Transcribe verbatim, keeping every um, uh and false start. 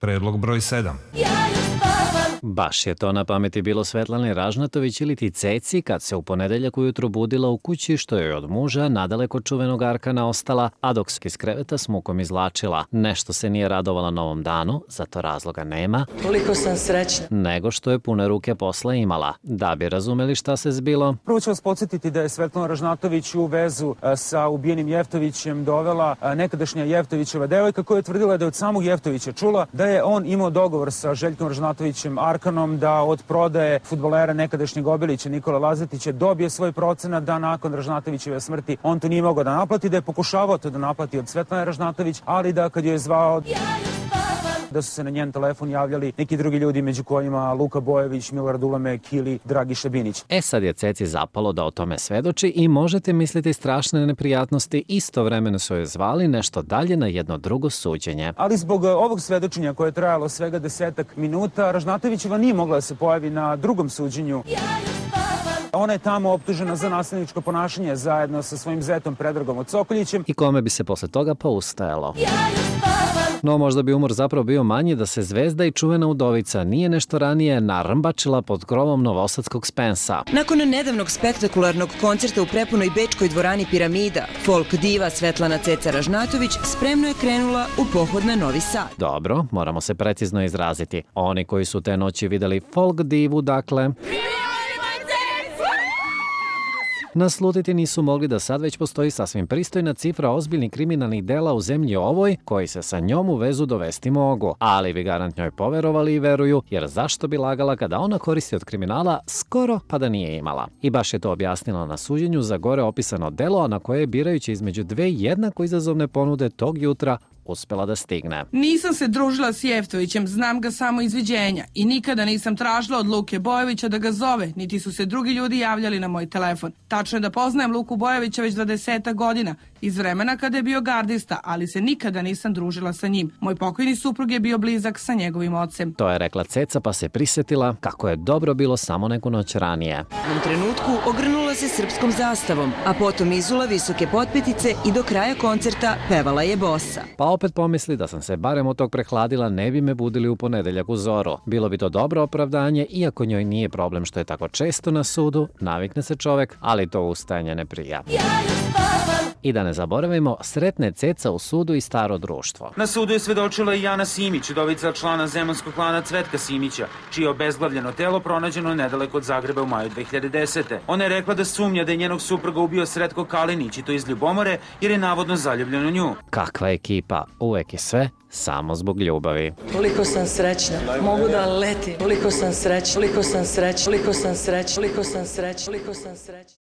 Predlog broj sedam. Baš je to na pameti bilo Svetlane Ražnatović ili ti Ceci kad se u ponedeljak ujutru budila u kući što joj od muža nadaleko čuvenog Arkana ostala, a dok se iz kreveta s mukom izvlačila. Nešto se nije radovala novom danu, zato razloga nema. Koliko sam srećna. Nego što je pune ruke posla imala. Da bi razumeli šta se zbilo. Prvo ću vas podsjetiti da je Svetlana Ražnatović u vezu sa ubijenim Jeftovićem dovela nekadašnja Jeftovićeva devojka koja je tvrdila da je od samog Jeftovića čula da je on imao dogovor sa Željkom Ražnatovićem Arkanom da od prodaje fudbalera nekadašnjeg Obilića Nikola Lazetića dobije svoj procenat, da nakon Ražnatovićeve smrti on to nije mogao da naplati, da je pokušavao to da naplati od Svetlane Ražnatović, ali da kad joj je zvao da su se na njen telefon javljali neki drugi ljudi, među kojima Luka Bojević, Milorad Ulamek ili Dragiša Binić. E sad je Ceci zapalo da o tome svedoči i možete misliti strašne neprijatnosti, istovremeno su joj zvali nešto dalje na jedno drugo suđenje. Ali zbog ovog svedočenja koje je trajalo svega desetak minuta, Ražnatovićeva nije mogla da se pojavi na drugom suđenju. Ona je tamo optužena za nasilničko ponašanje zajedno sa svojim zetom Predragom Cokoljićem. I kome bi se posle toga poustajalo. No možda bi umor zapravo bio manji da se zvezda i čuvena udovica nije nešto ranije narmbačila pod krovom novosadskog Spensa. Nakon nedavnog spektakularnog koncerta u prepunoj bečkoj dvorani Piramida, folk diva Svetlana Ceca Ražnatović spremno je krenula u pohod na Novi Sad. Dobro, moramo se precizno izraziti. Oni koji su te noći videli folk divu, dakle... naslutiti nisu mogli da sad već postoji sasvim pristojna cifra ozbiljnih kriminalnih dela u zemlji ovoj, koji se sa njom u vezu dovesti mogu. Ali bi garant njoj poverovali i veruju, jer zašto bi lagala kada ona koristi od kriminala skoro pa da nije imala. I baš je to objasnila na suđenju za gore opisano delo, a na koje je birajući između dve jednako izazovne ponude tog jutra uspela da stigne. Nisam se družila s Jeftovićem, znam ga samo iz viđenja i nikada nisam tražila od Luke Bojevića da ga zove, niti su se drugi ljudi javljali na moj telefon. Tačno je da poznajem Luku Bojevića već dvadesetak godina, iz vremena kada je bio gardista, ali se nikada nisam družila sa njim. Moj pokojni suprug je bio blizak sa njegovim ocem. To je rekla Ceca, pa se prisetila kako je dobro bilo samo neku noć ranije. U jednom trenutku ogrnula se srpskom zastavom, a potom izula visoke potpetice i do kraja koncerta pevala je bosa. Pa opet pomisli da sam se barem od tog prehladila, ne bi me budili u ponedeljak u zoru. Bilo bi to dobro opravdanje, iako njoj nije problem što je tako često na sudu, navikne se čovek, ali to ustajanje ne prija. I da ne zaboravimo, sretne Ceca u sudu i staro društvo. Na sudu je svedočila i Jana Simić, udovica člana zemunskog klana Cvetka Simića, čije je obezglavljeno telo pronađeno nedaleko od Zagreba u maju dve hiljade desete. Ona je rekla da sumnja da je njenog supruga ubio Sretko Kalinić, i to iz ljubomore, jer je navodno zaljubljen u nju. Kakva ekipa, uvek je sve samo zbog ljubavi. Koliko sam srećna, mogu da letim. Koliko sam srećna, koliko sam srećna, koliko sam srećna, koliko sam srećna, koliko sam srećna.